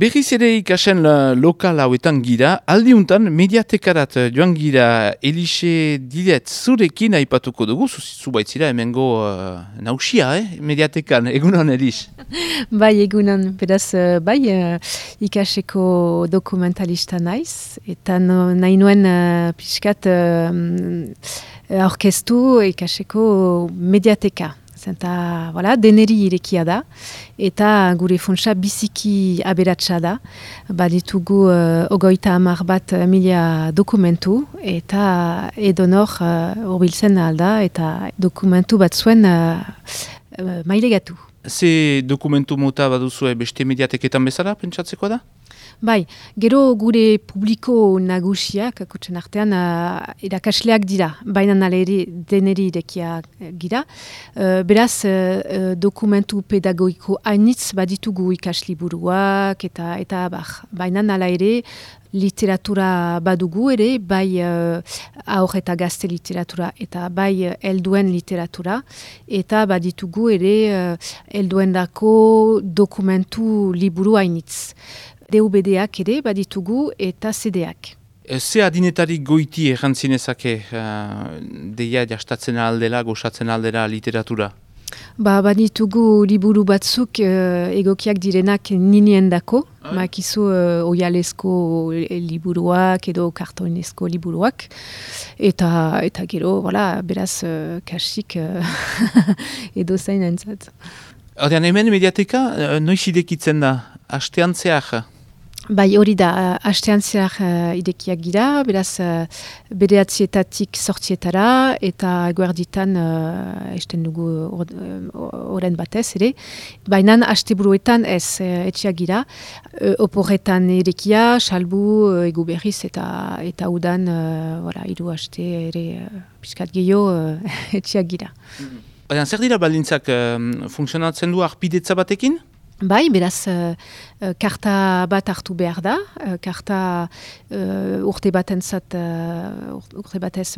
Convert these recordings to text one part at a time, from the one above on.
Berriz ere ikasen lokal hauetan gira, aldiuntan mediatekarat joan gira Elixe Dilet zurekin aipatuko dugu, zubaitzira hemengo nausia, mediatekan, egunon Elixe? Bai, egunon, beraz, ikaseko dokumentalista naiz, eta nahi nuen pixkat aurkeztu ikaseko mediateka. Zenta, deneri irekia da, eta gure funtsa biziki aberatsa da. Baditugu 30.000 dokumentu, eta edonor hurbiltzen alda, eta dokumentu bat zuen mailegatu. Ze dokumentu mota baduzue beste mediateketan bezala, pentsatzeko da? Bai, gero gure publiko nagusiak, akutsen artean, irakasleak dira, baina nalere deneri irekia gira. Beraz, dokumentu pedagogiko hainitz baditugu ikasliburuak, eta baina nala ere, literatura badugu ere, bai aur eta gazte literatura, eta bai helduen literatura, eta baditugu ere helduendako dokumentu liburu hainitz. DVD-ak ere baditugu eta CD-ak. Ze adinetarik goiti errantzinezake deia jastatzen aldela, gozatzen aldela literatura? Baditugu liburu batzuk egokiak direnak niniendako, makizu oialezko liburuak edo kartoinezko liburuak, eta gero, beraz, kasik edo zain entzat. Ordean, hemen mediateka noiz idekitzen da, astean zehar? Bai, hori da, astean zehar idekiak gira, beraz, bederatzietatik sortzietara, eta eguerditan esten dugu oren batez, ere. Baina asteburuetan ez etxeak gira, oporretan irekia, salbu, egu berriz, eta udan, hiru aste ere piskat gehiago etxeak gira. Zer dira baldintzak funtzionatzen du arpidetza batekin? Bai, beraz, karta bat hartu behar da, karta urte batez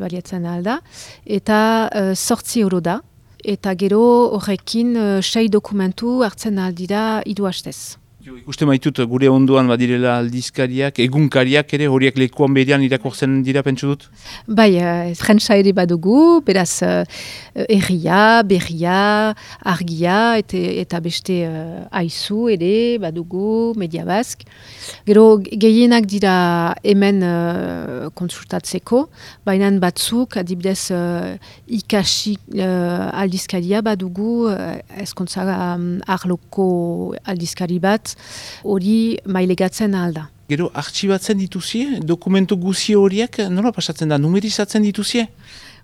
baliatzen alda, eta 8 euro da, eta gero horrekin 6 dokumentu hartzen aldira 2 hastez. Ikuste maitut gure onduan badirela aldizkariak, egunkariak ere horiek lekuan berean irakortzen dira pentsu dut? Bai, frentsa ere badugu, beraz erria, berria, argia, eta beste aizu ere badugu, Media Bask. Gero gehienak dira hemen konsultatzeko, baina batzuk adibidez ikasi aldizkaria badugu, ezkontza arloko aldizkari bat, hori mailegatzen alda. Gero, artxibatzen dituzie? Dokumentu guzi horiek nola pasatzen da? Numerizatzen dituzie?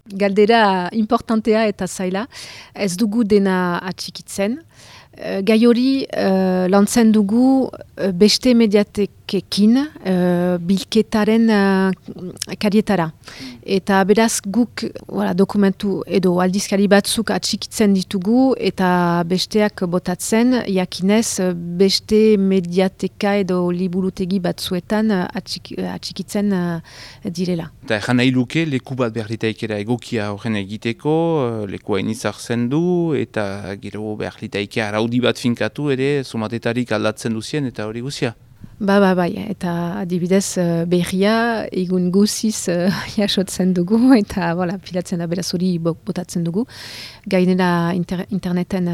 Galdera importantea eta zaila. Ez dugu dena atxikitzen. Gai hori lantzen dugu beste mediatekekin bilketaren karietara. Eta beraz guk dokumentu edo aldizkari batzuk atxikitzen ditugu eta besteak botatzen jakinez beste mediateka edo liburutegi batzuetan atxikitzen direla. Eta egan nahi luke leku bat behar ditaikera egokia horren egiteko, lekua inizartzen du eta gero behar ditaikea araudi bat finkatu ere somatetarik aldatzen duzien eta hori guzia. Bai, eta adibidez berria egun guziz jasotzen dugu eta pilatzen da beraz hori botatzen dugu. Gainera interneten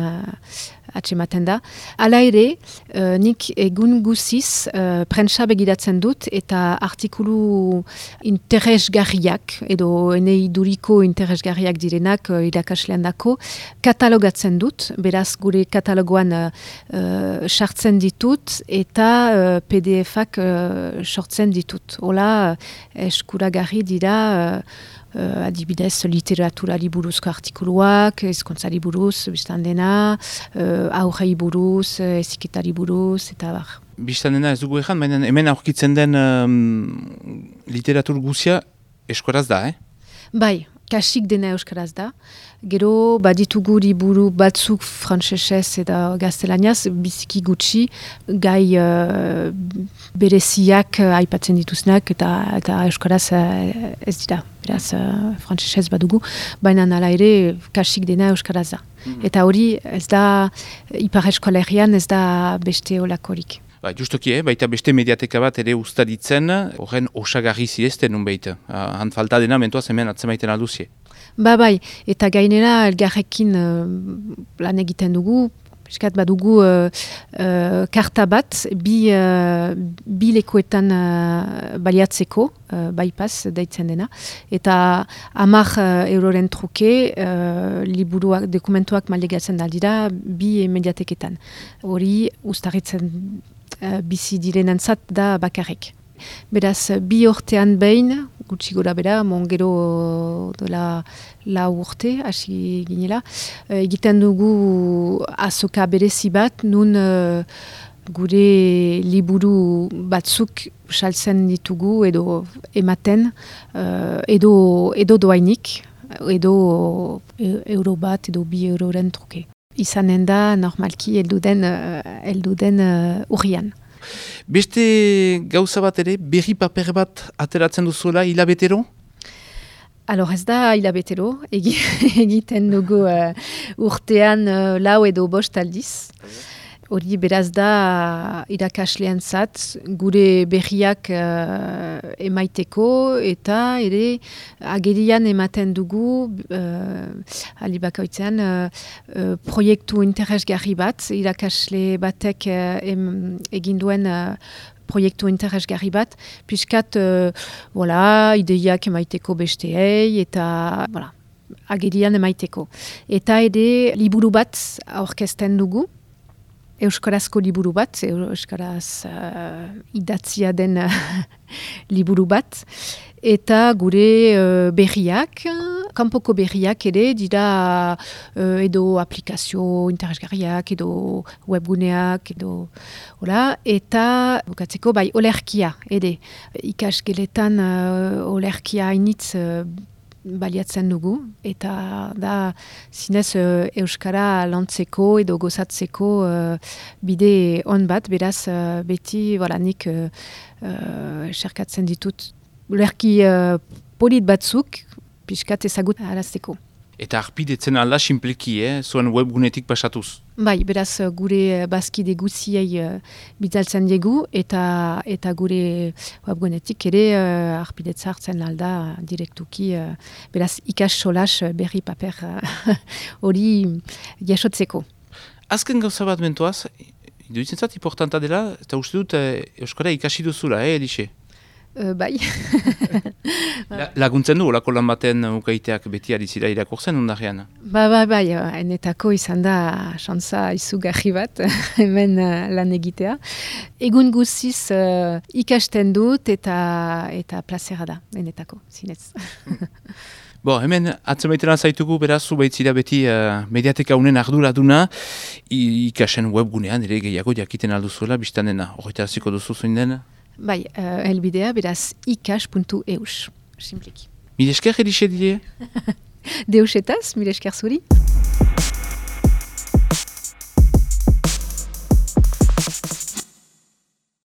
atsematen da. Hala ere, nik egun guziz prentsa begiratzen dut eta artikulu interesgarriak edo enei duriko interesgarriak direnak irakaslean dako katalogatzen dut, beraz gure katalogoan sartzen ditut eta PDF-ak sortzen ditut. Hola, eskuragarri dira adibidez literaturari buruzko artikuluak, ezkontzari buruz, biztan dena, aurrei buruz, eziketari buruz, eta bar. Biztan dena ez dugu ezan, baina hemen aurkitzen den literatur guzia eskoraz da, Bai, kasik dena euskaraz da. Gero baditugu liburu batzuk frantsesez eta gaztelaniaz, biziki gutxi, gai bereziak aipatzen dituznak eta euskaraz ez dira. Beraz, frantsesez badugu, baina nala ere kasik dena euskaraz da. Eta hori ez da, ipar eskolerian ez da beste olakorik. Justoki, baita beste mediateka bat ere ustaditzen, horren osagarri zirezten nun behita. Han falta dena mentuaz hemen atzemaiten alduzie. Bai, eta gainera elgarrekin lan egiten dugu, piskat badugu karta bat, bi lekuetan baliatzeko, bypass deitzen dena, eta 10 euroren truke liburuak, dokumentuak malegatzen daldira bi mediateketan. Hori ustarritzen bizi direnentzat da bakarrik. Beraz, 2 urtean behin, gutxi gora bera, gero dela 4 urte, hasi ginela, egiten dugu azoka berezi bat, nun gure liburu batzuk saltzen ditugu edo ematen, edo doainik, edo euro bat, edo 2 euroren truke. Izanen da, normalki, elduden urrian. Beste gauza bat ere, berri paper bat ateratzen duzuela hilabetero? Ez da hilabetero, egiten dugu urtean 4 edo 5 aldiz. Hori beraz da irakasleentzat gure berriak emaiteko eta ere agerian ematen dugu aldi bakoitzean proiektu interesgarri bat, irakasle batek egin duen proiektu interesgarri bat, piskat ideiak emaiteko besteei eta agerian emaiteko. Eta ere liburu bat aurkezten dugu, euskarazko liburu bat, euskaraz idatzia den liburu bat, eta gure berriak, kanpoko berriak ere dira edo aplikazio interesgarriak, edo webguneak, edo eta bukatzeko olerkia ere. Ikasgeletan olerkia hainitz baliatzen dugu, eta da zinez euskara lantzeko edo gozatzeko bide on bat, beraz beti nik serkatzen ditut ulerki polit batzuk pixkat ezagut arazteko. Eta arpidetzen alda simpleki, zuen webgunetik pasatuz? Beraz gure bazkide guziei bitzaltzen diegu eta gure webgunetik ere arpidetza hartzen alda direktuki, beraz ikas solas berri paper hori jasotzeko. Azken gauza bat mentuaz, iduditzen zat importanta dela, eta uste dut euskara ikasi duzula, Elixe? Bai. Laguntzen du, olako lan baten ukaiteak beti arizira irakurtzen ondarean? Bai, enetako izan da xantza izugarri bat, hemen lan egitea. Egun guziz ikasten dut eta plazera da, enetako, zinez. Hemen atzemaitena zaitugu beraz, baitzira beti mediateka unen arduraduna, ikasen webgunean ere gehiago jakiten alduzuela, biztan dena, horreta hasiko duzu zoin dena? Bai, helbidea beraz ikas.eus, simpliki. Mil esker Elixe die? Deusetaz, mil esker zuri.